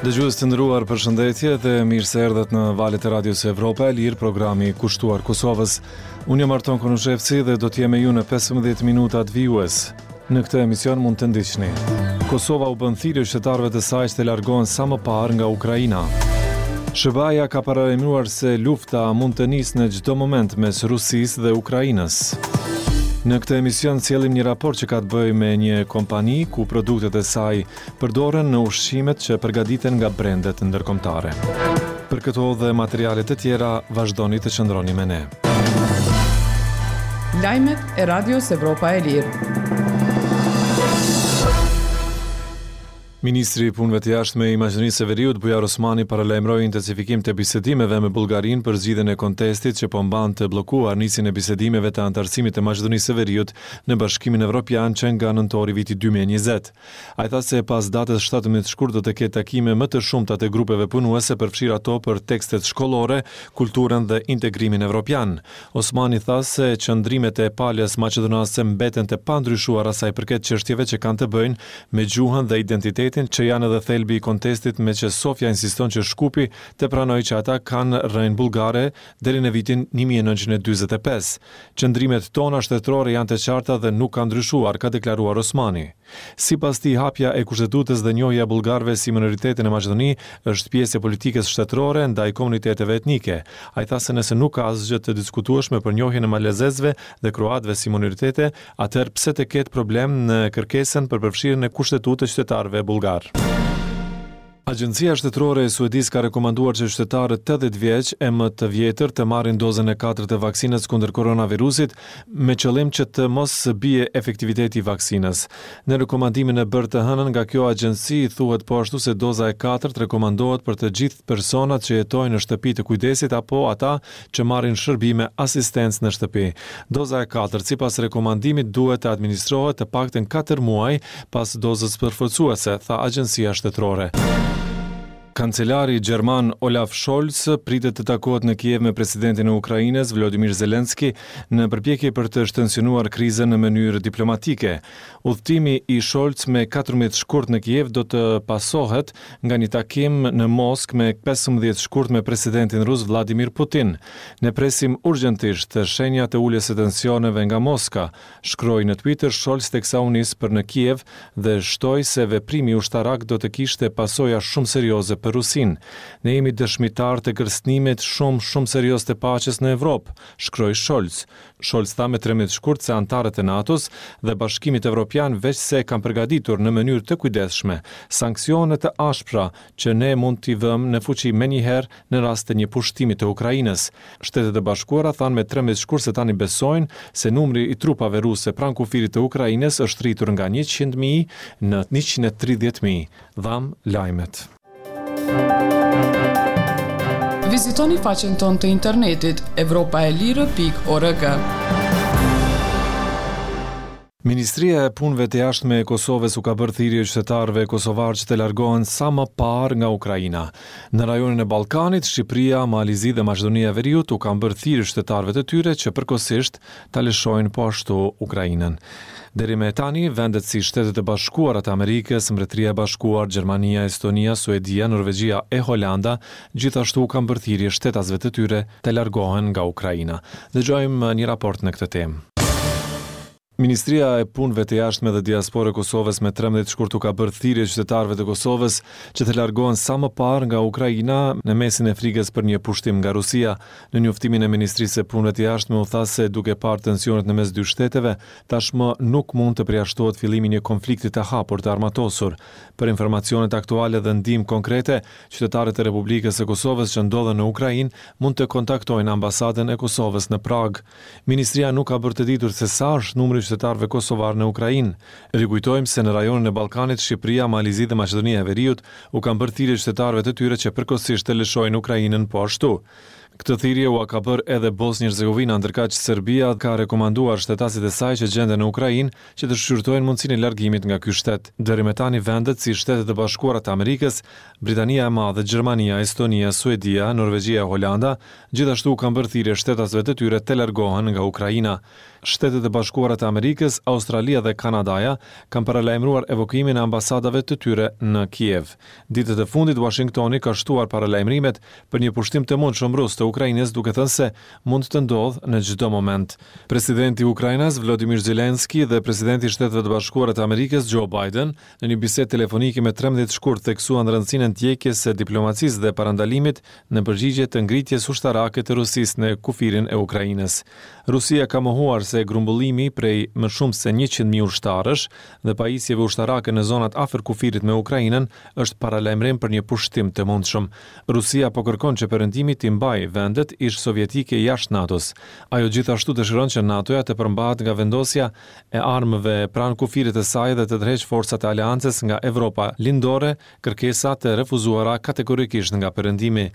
Dëgjues të nderuar, përshëndetje dhe mirë se erdhët në valët e Radios Evropa e Lirë, programi kushtuar Kosovës. Unë jam Arton Konushevci dhe do të jem me ju në 15 minutat vijues. Në këtë emision mund të ndiqni. Kosova u bën thirrje qytetarëve të saj që të largohen sa më parë nga Ukraina. SHBA-ja ka paralajmëruar se lufta mund të nisë në çdo moment mes Rusisë dhe Ukrainës. Në këtë emision sjellim një raport që ka të bëjë me një kompani ku produktet e saj përdoren në ushqimet që përgatiten nga brendet ndërkombëtare. Për këto dhe materiale të tjera, vazhdoni të qëndroni me ne. Lajmet e Radios Evropa e Lirë. Ministri i Punëve të Jashtme i Maqedonisë së Veriut, Bujar Osmani paralajmëroi intensifikim të bisedimeve me Bullgarinë për zgjidhjen e kontestit që po mban të bllokuar nisjen e bisedimeve të anëtarësimit të Maqedonisë së Veriut në Bashkimin Evropian që nga nëntori i vitit 2020. Ai tha se pas datës 17 shkurt do të ketë takime më të shumta të grupeve punuese, përfshirë ato për tekstet shkollore, kulturën dhe integrimin evropian. Osmani tha se qëndrimet e palës maqedonase mbeten të pandryshuara sa i përket çështjeve që kanë të bëjnë me gjuhën dhe identitetin që janë edhe thelbi i kontestit meqë Sofja insiston që Shkupi të pranojë që ata kanë rrënjë bullgare deri në vitin 1945. Qëndrimet tona shtetërore janë të qarta dhe nuk kanë ndryshuar, ka deklaruar Osmani. Sipas tij, hapja e Kushtetutës dhe njohja e bullgarëve si minoritete në Maqedoni është pjesë e politikës shtetërore ndaj komuniteteve etnike. Ai tha se nëse nuk ka asgjë të diskutueshme për njohjen e malazezëve dhe kroatëve si minoritete, atëherë pse të ketë problem në kërkesën për përfshirjen në Kushtetutë të qytetarëve bullgarë. Agjencia Shtetërore e Suedisë ka rekomanduar që qytetarët 80 vjeç e më të vjetër të marrin dozën e katërt të vaksinës kundër koronavirusit me qëllim që të mos bie efektiviteti i vaksinës. Në rekomandimin e bërë të hënën nga kjo agjenci thuhet po ashtu se doza e katërt rekomandohet për të gjithë personat që jetojnë në shtëpi të kujdesit apo ata që marrin shërbime asistencë në shtëpi. Doza e katërt, sipas rekomandimit, duhet të administrohet të paktën katër muaj pas dozës përforcuese, tha agjencia shtetërore. Kancelari gjerman Olaf Scholz pritet të takohet në Kiev me presidentin e Ukrainës, Volodymyr Zelensky, në përpjekje për të shtensionuar krizën në mënyrë diplomatike. Udhëtimi i Scholz me 14 shkurt në Kiev do të pasohet nga një takim në Moskë me 15 shkurt me presidentin rus Vladimir Putin. Ne presim urgjentisht shenja të uljes së tensioneve nga Moska, shkroi në Twitter Scholz teksa u nis për në Kiev dhe shtoi se veprimi ushtarak do të kishte pasoja shumë serioze për Rusinë. Ne jemi dëshmitarë të kërcënimit shumë, shumë serioz të paqes në Evropë, shkroi Scholz. Scholz tha me 13 shkurt se anëtarët e NATO-s dhe Bashkimit Evropian veçse kanë përgatitur në mënyrë të kujdesshme sanksione të ashpra që ne mund t'i vëmë në fuqi menjëherë në rast të një pushtimi të Ukrainës. Shtetet e Bashkuara thanë me 13 shkurt se tani besojnë se numri i trupave ruse pranë kufirit të Ukrainës është rritur nga 100.000 në 130.000. Dhamë lajmet. Vizitoni faqen tonë të internetit evropaelire.org. Ministria e Punëve të Jashtme e Kosovës u ka bërë thirrje qytetarëve kosovarë që të largohen sa më parë nga Ukraina. Në rajonin e Ballkanit, Shqipëria, Mali i Zi dhe Maqedonia e Veriut u kanë bërë thirrje qytetarëve të tyre që përkohësisht ta lëshojnë po ashtu Ukrainën. Deri me tani, vendet si Shtetet e Bashkuara të Amerikës, Mbretëria e Bashkuar, Gjermania, Estonia, Suedia, Norvegjia e Holanda gjithashtu u kanë bërë thirrje shtetasve të tyre të largohen nga Ukraina. Dëgjojmë një raport në këtë temë. Ministria e Punëve të Jashtme dhe Diasporë e Kosovës me 13 shkurt u ka bërë thirrje qytetarëve të Kosovës që të largohen sa më parë nga Ukraina në mesin e frikës për një pushtim nga Rusia. Në njoftimin e Ministrisë së Punëve të Jashtme u tha se duke parë tensionet në mes dy shteteve, tashmë nuk mund të përjashtohet fillimi i një konflikti të hapur të armatosur. Për informacionet aktuale dhe ndihmë konkrete, qytetarët e Republikës së Kosovës që ndodhen në Ukrainë mund të kontaktojnë ambasadën e Kosovës në Pragë. Ministria nuk ka bërë të ditur se sa është numri i qytetarëve kosovarë në Ukrainë. Rikujtojmë se në rajonin e Ballkanit, Shqipëria, Mali i Zi dhe Maqedonia e Veriut u kanë bërë thirrje qytetarëve të tyre që përkohësisht të lëshojnë Ukrainën po ashtu. Këtë thirrje ua ka bërë edhe Bosnjë-Hercegovina, ndërkaq Serbia ka rekomanduar shtetasit e saj që gjenden në Ukrainë që të shqyrtojnë mundësinë e largimit nga ky shtet. Deri më tani vendet si Shtetet e Bashkuara të Amerikës, Britania e Madhe, Gjermania, Estonia, Suedia, Norvegjia e Holanda gjithashtu u kanë bërë thirrje shtetasve të tyre të largohen nga Ukraina. Shtetet e Bashkuara të Amerikës, Australia dhe Kanadaja kanë paralajmëruar evakuimin e ambasadave të tyre në Kiev. Ditët e fundit, Uashingtoni ka shtuar paralajmërimet për një pushtim të mundshëm rus të Ukrainës duke thënë se mund të ndodhë në çdo moment. Presidenti ukrainas Vladimir Zelensky dhe presidenti i Shteteve të Bashkuara të Amerikës Joe Biden në një bisedë telefonike më 13 shkurt theksuan rëndësinë e ndjekjes së diplomacisë dhe parandalimit në përgjigje të ngritjes ushtarake të Rusisë në kufirin e Ukrainës. Rusia ka mohuar se grumbullimi prej më shumë se 100.000 ushtarësh dhe pajisjeve ushtarake në zonat afër kufirit me Ukrainën është paralajmërim për një pushtim të mundshëm. Rusia po kërkon që Perëndimi t'i mbajë vendet ish-sovjetike jashtë NATO-s. Ajo gjithashtu dëshiron që NATO-ja të përmbahet nga vendosja e armëve pranë kufirit të saj dhe të tërheqë forcat e aleancës nga Evropa Lindore, kërkesa të refuzuara kategorikisht nga Perëndimi.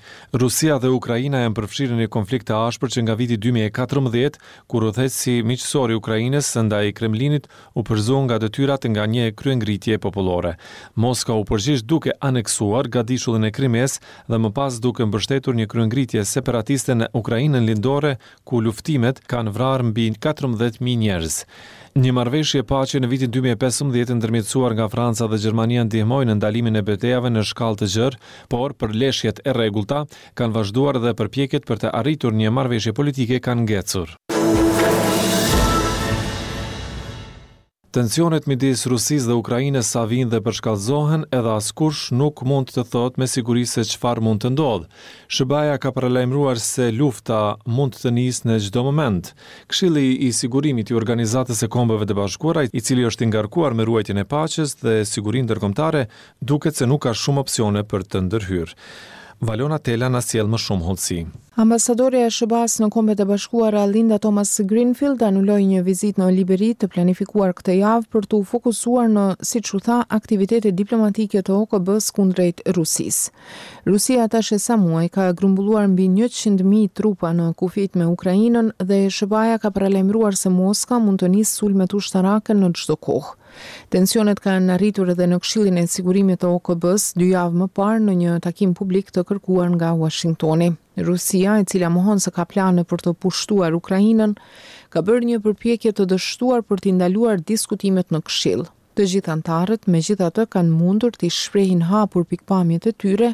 Rusia dhe Ukraina janë përfshirë në një konflikt të ashpër që nga viti 2014, kur udhëheqësi miqësor i Ukrainës ndaj Kremlinit u përzu nga detyrat nga një kryengritje popullore. Moska u përgjigj duke aneksuar gadishullin e Krimesë dhe më pas duke mbështetur një kryengritje separatiste në Ukrainën Lindore, ku luftimet kanë vrarë mbi 14.000 njerëz. Një marrëveshje paqe në vitin 2015 ndërmjetësuar nga Franca dhe Gjermania ndihmoi në ndalimin e betejave në shkallë të gjerë, por përleshjet e rregullta kanë vazhduar dhe përpjekjet për të arritur një marrëveshje politike kanë ngecur. Tensionet midis Rusisë dhe Ukrainës sa vijnë dhe përshkallëzohen, edhe askush nuk mund të thotë me siguri se çfarë mund të ndodhë. SHBA-ja ka paralajmëruar se lufta mund të nisë në çdo moment. Këshilli i Sigurimit i Organizatës së Kombeve të Bashkuara, i cili është i ngarkuar me ruajtjen e paqes dhe sigurinë ndërkombëtare, duket se nuk ka shumë opsione për të ndërhyrë. Valona Tela na sjell më shumë hollësi. Ambasadorja e SHBA-së në Kombet e Bashkuara, Linda Thomas-Greenfield anuloi një vizitë në Liberi të planifikuar këtë javë për t'u fokusuar në, siç u tha, aktivitetet diplomatike të OKB-së kundrejt Rusisë. Rusia tash e sa muaj ka grumbulluar mbi 100.000 trupa në kufijtë me Ukrainën dhe SHBA-ja ka paralajmëruar se Moska mund të nisë sulmet ushtarake në çdo kohë. Tensionet kanë arritur edhe në Këshillin e Sigurimit të OKB-së dy javë më parë në një takim publik të kërkuar nga Uashingtoni. Rusia, e cila mohon se ka plane për të pushtuar Ukrainën, ka bërë një përpjekje të dështuar për t'i ndaluar diskutimet në Këshill. Të gjithë anëtarët, megjithatë, kanë mundur t'i shprehin hapur pikëpamjet e tyre,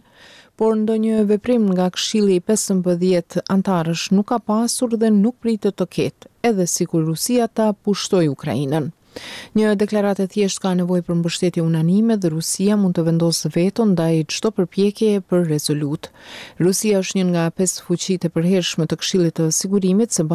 por ndonjë veprim nga Këshilli i 15 anëtarësh nuk ka pasur dhe nuk pritet të ketë, edhe sikur Rusia ta pushtojë Ukrainën. Një deklaratë e thjeshtë ka nevojë për mbështetje unanime dhe Rusia mund të vendosë veto ndaj çdo përpjekjeje për rezolutë. Rusia është një nga pesë fuqitë e përhershme të Këshillit të Sigurimit së bashku.